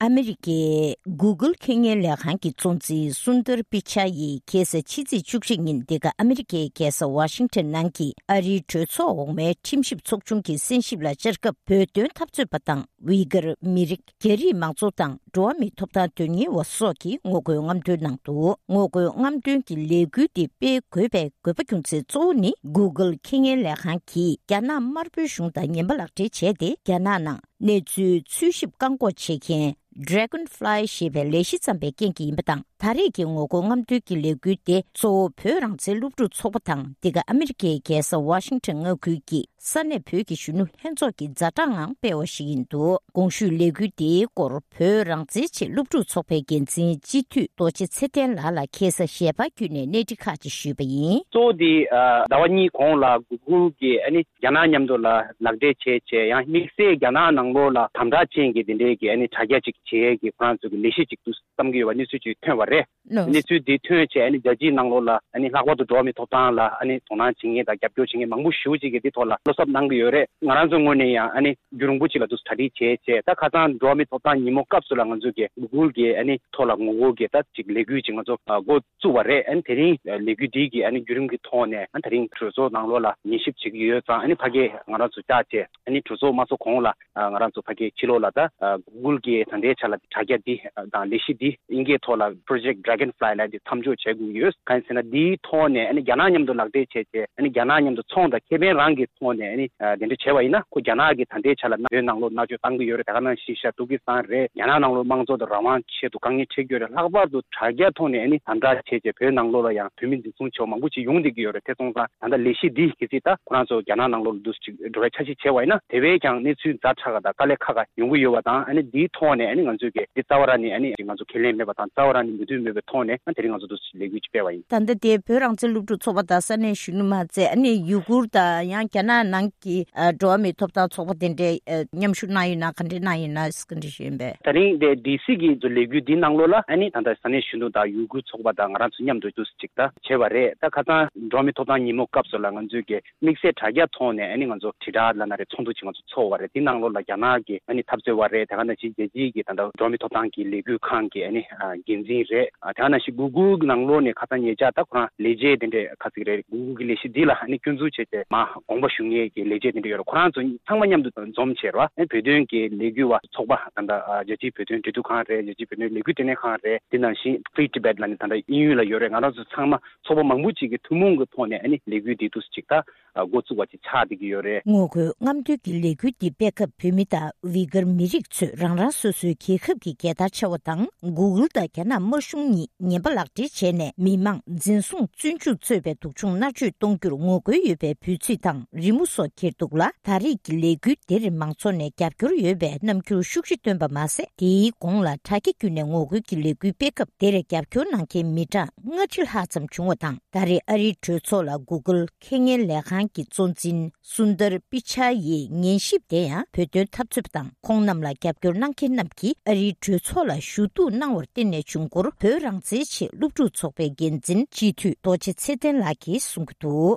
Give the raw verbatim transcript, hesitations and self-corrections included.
ཨ་མི་རི་ཀའི་Google་ཁེ་ཉེན་ལས་ཁང་གི་གཙོ་འཛིན་སུན་དར་པི་ཆ་ཡིས་ཁ་སང་ཕྱི་ཚེས་བཅུ་གཅིག་ཉིན་འདི་ག་ཨ་མི་རི་ཀའི་རྒྱལ་ས་ཝ་ཤིང་ཊོན་ནང་གི་ཨ་རིའི་གྲོས་ཚོགས་འོག་མའི་ཁྲིམས་ཞིབ་ཚོགས་ཆུང་གི་གསན་ཞིབ་ལ་བཅར་སྐབས། བོད་དོན་འཐབ་རྩོད་པ་དང་ཝི་གར་མི་རིགས། རྒྱ་རིགས་མང་ཚོགས་དང་འགྲོ་བ་མིའི་ཐོབ་ཐང་དོན་གཉེར་བ་སོགས་ཀྱིས་ངོ་རྒོལ་རྔམ་སྟོན་གནང་འདུག་ངོ་རྒོལ་རྔམ་སྟོན་གྱི་ལས་འགུལ་འདི་སྤེལ་དགོས་པའི་དགོས་པ་རྒྱུ་མཚན་གཙོ་བོ་ནི། Google་ཁེ་ཉེན་ལས་ཁང་གིས་རྒྱ་ནག་དམར་པོའི་གཞུང་དང་ངན་པ་ལག་འབྲེལ་བྱས་ཏེ། རྒྱ་ནག་ནང་གནས་ཚུལ་འཚོལ་ཞིབ་བཀག་འགོག་བྱེད་མཁན་Dragonfly་ཞེས་པའི་ལས་གཞི་བརྩམས་པའི་རྐྱེན་གྱིས་ཡིན་པ་དང་། ད་རེས་ཀྱི་ངོ་རྒོལ་རྔམ་སྟོན་གྱི་ལས་འགུལ་དེ་གཙོ་བོ་བོད་རང་བཙན་སློབ་ཕྲུག་ཚོགས་པ་དང་། འདི་ག་ཨ་མི་རི་ཀའི་རྒྱལ་ས་ཝ་ཤིང་ཊོན་མངའ་ཁུལ་གྱི་ས་གནས་བོད་ཀྱི་གཞོན་ནུ་ལྷན་ཚོགས་ཀྱི་ཛ་དྲག་ངང་སྤེལ་བ་ཞིག་ཡིན་འདུག་གོང་ཞུས་ལས་འགུལ་འདིའི་སྐོར་བོད་རང་བཙན་ཆེད་སློབ་ཕྲུག་ཚོགས་པའི་འགན་འཛིན་སྤྱི་འཐུས་རྡོ་རྗེ་ཚེ་བརྟན་ལགས་ལ་ཁ་སང་ཞལ་པར་བརྒྱུད་ནས་གནས་འདྲི་ཁག་ཅིག་ཞུས་པ་ཡིན། གཙོ་བོ་དེ་ཨ་ཟླ་བ་གཉིས་གོང་ལ་Google་གིས་ཨ་ནི་རྒྱ་ནག་མཉམ་དུ་ལ་ལག་འབྲེལ་བྱས་བྱས། ཡང་དམིགས་བསལ་རྒྱ་ནག་ནང་ལོགས་ལ་དམ་དྲག་ཅན་གྱི་དེ་འདྲའི་གི་ཨ་ནི་དྲ་རྒྱ་ཅིག་བྱེད་ཡས་ཀྱི་ཁོ་རང་ཚོ་གི་ལས་གཞི་ཅིག་ཏུ་བརྩམས་ཀྱི་ཡོད་པ་གནས་ཚུལ་ཅིག་ཐོན་པ་རེད། ནོ། གནས་ཚུལ་འདི་ཐོན་བྱས་ཨ་ནི་རྒྱལ་སྤྱིའི་ནང་ལོགས་ལ་ཨ་ནི་ལྷག་པར་དུ་འགྲོ་བ་མིའི་ཐོབ་ཐང་ལ་ཨ་ནི་དོ་སྣང་བྱེད་མཁན་དང་རྒྱབ་སྐྱོར་བྱེད་མཁན་མང་པོ་ཞེ་པོ་ཅིག་གིས་འདི་ཐོག་ལ་བློ་འཚབ་གནང་གི་ཡོད་རེད། ང་རང་ཚོའི་ངོས་ནས་ཡང་ཨ་ནི་རྒྱུན་རིང་པོ་ཅིག་ལ་འདུག་གྲ་སྒྲིག་བྱས་བྱས། ད་ཁ་སང་འགྲོ་བ་མིའི་ཐོབ་ཐང་ཉིན་མོ་སྐབས་སུ་ལ་ང་ཚོ་གི་Google་གི་ཨ་ནི་ཐོག་ལ་ངོ་རྒོལ་གྱི་ད་ཅིག་ལས་འགུལ་ཅིག་ང་ཚོ་འགོ་བཙུགས་པ་རེད། ཨ་ནི་དེ་རིང་ལས་འགུལ་འདི་གི་ཨ་ནི་བརྒྱུད་རིམ་གྱི་ཐོག་ནས་ཨ་ནི་དེ་རིང་གྲོས་ཚོགས་ནང་ལོགས་ལ་ཉན་ཞིབ་བྱེད་ཀྱི་ཡོད་ཙང་། ཨ་ནི་ཕ་གི་ང་རང་ཚོ་བཅར་བྱས་ཨ་ནི་གྲོས་ཚོགས་མ་ཚོགས་གོང་ལ་ང་རང་ཚོ་ཕ་གི་ཕྱི་ལོགས་ལ་ད་Google་གི་ད་ལྟའི་ཆ་ལ་དྲ་རྒྱ་འདི་དང་ལས་གཞི་འདི་དབྱིན་སྐད་ཐོག་ལ་Project Dragonfly་ལབ་འདི་མཚམས་འཇོག་བྱེད་དགོས་ཀྱི་ཡོད། གང་ཡིན་ཟེར་ན་འདིའི་ཐོག་ནས་ཨ་ནི་རྒྱ་ནག་མཉམ་དུ་ལག་འབྲེལ་བྱས་བྱས་ཨ་ནི་རྒྱ་ནག་མཉམ་དུ་ཚོང་དང་ཁེ་ཕན་རང་གི་ཐོག་ནས་ཨ་ནི་དེ་འདྲ་བྱས་པ་ཡིན་ན། ཁོ་རྒྱ་ནག་གིས་ད་ལྟའི་ཆ་ལ་བོད་ནང་ལོགས་མནར་གཅོད་བཏང་གི་ཡོད་རེད། དེ་ག་ནང་བཞིན་ཤར་ཏུར་ཀི་སི་ཐན་རེད། རྒྱ་ནག་ནང་ལོགས་དམངས་གཙོ་དང་རང་དབང་ཆེད་དུ་དཀའ་ངལ་འཕྲད་ཀྱི་ཡོད་རེད། ལྷག་པར་དུ་དྲ་རྒྱ་ཐོག་ནས་ཨ་ནི་དམ་དྲག་བྱས་བྱས་བོད་ནང་ལོགས་ལ་ཡང་བོད་མི་འཛིན་བཟུང་བྱས་པ་མང་པོ་ཅིག་ཡོང་བསྡད་ཀྱི་ཡོད་རེད། དེ་སོང་ཙང་ད་ལྟ་ལས་གཞི་འདི་གལ་སྲིད་ད་ཁོ་རང་ཚོ་རྒྱ་ནག་ནང་ལོགས་ལ་འདུག་ཅིག་འགྲོ་བའི་འཆར་གཞི་བྱས་པ་ཡིན་ན། དེ་བས་ཀྱང་གནས་ཚུལ་ཛ་དྲག་དང་དཀའ་ལས་ཁག་ཁག་ཡོང་གི་ཡོད་པ་དང་། ཨ་ནི་འདིའི་ཐོག་ནས་ཨ་ནི་ང་ཚོས་ཀྱི་འདི་རྩ་བ་རང་ནས་ཨ་ནི་ང་ཚོ་ཁས་ལེན་མེད་པ་དང་། རྩ་བ་རང་ནས་མོས་མཐུན་མེད་པའི་ཐོག་ནས་ཨ་དེ་རིང་ང་ཚོ་འདུག་ཅིག་ལས་འགུལ་ཅིག་སྤེལ་བ་ཡིན། ད་ལྟ་དེ་བོད་རང་བཙན་སློབ་ཕྲུག་ཚོགས་པ་དང་ས་གནས་གཞོན་ནུ་མ་ཚད། ཨ་ནི་ཡུ་གུར་དང་ཡང་རྒྱ་ནག་ནང་གི་ཨ་འགྲོ་བ་མིའི་ཐོབ་ཐང་ཚོགས་པ་དེ་འདྲས་ཨ་མཉམ་ཞུགས་གནང་ཡོད་ན། ག་འདྲས་གནང་ཡོད་ན་ག་འདྲས་ཞུ་ཡིན་པས། ད་རིང་དེ་ཌི་སི་གི་ལས་འགུལ་འདི་ནང་ལོགས་ལ་ཨ་ནི་ད་ལྟ་ས་གནས་གཞོན་ནུ་དང་ཡུ་གུར་ཚོགས་པ་དང་ང་རང་ཚོ་མཉམ་དུ་འདུག་ཅིག་ད་བྱས་པ་རེད། ད་ཁ་སང་འགྲོ་བ་མིའི་ཐོབ་ཐང་ཉིན་མོ་སྐབས་སུ་ལ་ང་ཚོས་ཀྱི་དམིགས་བསལ་དྲ་རྒྱ་ཐོག་ནས་ཨ་ནི་ང་ཚོ་དྲིལ་བསྒྲགས་ལབ་ན་རེད། ཚོགས་འདུ་ཅིག་ང་ཚོ་ཚོགས་པ་རེད། འདི་ནང་ལོགས་ལ་རྒྱ་ནག་གི་ཨ་ནི་འཐབ་རྩོད་པ་རེད། དེ་ག་ནང་བཞིན་རྒྱལ་སྤྱིའི་གི་ད་ལྟ་འགྲོ་བ་མིའི་ཐོབ་ཐང་གི་ལས་འགུལ་ཁང་གི་ཨ་ནི་ཨ་འགན་འཛིན་རེད། ཨ་དེ་ག་ནང་བཞིན་གུ་གུལ་ནང་ལོགས་ནས་ཁ་སང་ཉེ་ཆར་ད་ཁོ་རང་ལས་བྱེད་དེ་འདྲས་ཁ་ཅིག་རེད། གུ་གུལ་གི་ལས་གཞི་འདི་ལ་ཨ་ནི་སྐྱོན་འཛུགས་བྱས་བྱས་མར་དགོངས་པ་ཞུ་མཁན་གྱི་ལས་བྱེད་དེ་འདྲས་ཡོད་རེད། ཁོ་རང་ཚོ་ཚང་མ་མཉམ་དུ་འཛོམས་བྱས་རེད་བ། ཨ་ནི་བོད་དོན་གྱི་ལས་འགུལ་བ་ཚོགས་པ་ད་ལྟ་ཨ་རྒྱལ་སྤྱིའི་བོད་དོན་འབྲེལ་མཐུད་ཁང་རེད། རྒྱལ་སྤྱིའི་བོད་དོན་ལས་འགུལ་ལྟེ་གནས་ཁང་རེད། དེ་ནང་བཞིན་Free Tibet་ལབ་ནས་ད་ལྟ་དབྱིན་ཡུལ་ལ་ཡོད་རེད། ང་རང་ཚོ་ཚང་མ་ཚོགས་པ་མང་པོ་ཅིག་གི་ཐུན་མོང་གི་ཐོག་ནས་ཨ་ནི་ལས་འགུལ་འདི་འདུག་སེ་ཅིག་ད་འགོ་བཙུགས་པ་ཅིག་ཆགས་བསྡད་ཀྱི་ཡོད་རེད། ངོ་རྒོལ་རྔམ་སྟོན་གྱི་ལས་འགུལ་འདི་སྤེལ་སྐབས་བོད་མི་དང་ཝི་གར་མི་རིགས་ཚོས་རང་རང་སོ་སོའི་རྒྱལ་ཁབ་ཀྱི་རྒྱལ་དར་འཕྱར་བ་དང་། གུ་གུལ་དང་རྒྱ་ནག་དམར་གཞུང་གཉིས་ངན་པ་ལག་འབྲེལ་བྱས་ནས་མི་མང་འཛིན་བཟུང་བཙོན་འཇུག་གཙོས་པའི་སྡུག་སྦྱོང་མནར་གཅོད་གཏོང་རྒྱུར་ངོ་རྒོལ་ཡོད་པའི་འབོད་ཚིག་དང་རི་མོ་སོགས་འཁྱེར་འདུག་ལ། ད་རེས་ཀྱི་ལས་འགུལ་འདིར་མང་ཚོགས་ནས་རྒྱབ་སྐྱོར་ཡོད་པའི་རྣམ་འགྱུར་ཤུགས་ཆེ་བཏོན་པ་མ་ཟད། དེའི་གོང་ལ་དྲ་རྒྱ་བརྒྱུད་ནས་ངོ་རྒོལ་གྱི་ལས་འགུལ་སྤེལ་སྐབས་དེར་རྒྱབ་སྐྱོར་གནང་མཁན་མི་གྲངས་ལྔ་ཁྲི་ལྷག་ཙམ་བྱུང་བ་དང་། ད་རེས་ཨ་རིའི་གྲོས་ཚོགས་ལ་གུ་གུལ་ཁེ་ཉེན་ལས་ཁང་གི་གཙོ་འཛིན་སུན་དར་པི་ཆ་ཡི་ཉན་ཞིབ་དེ་ཡང་བོད་དོན་འཐབ་རྩོད་པ་དང་། ཁོང་རྣམས་ལ་རྒྱབ་སྐྱོར་གནང་མཁན་རྣམས་ཀྱིས་ཨ་རིའི་གྲོས་ཚོགས་ལ་ཞུ་གཏུག་གནང་བར་བརྟེན་ནས་བྱུང་སྐོར་བོད་རང་བཙན་ཆེད་སློབ་ཕྲུག་ཚོགས་པའི་འགན་འཛིན་སྤྱི་འཐུས་རྡོ་རྗེ་ཚེ་བརྟན་ལགས་ཀྱིས་གསུང་གི་འདུག།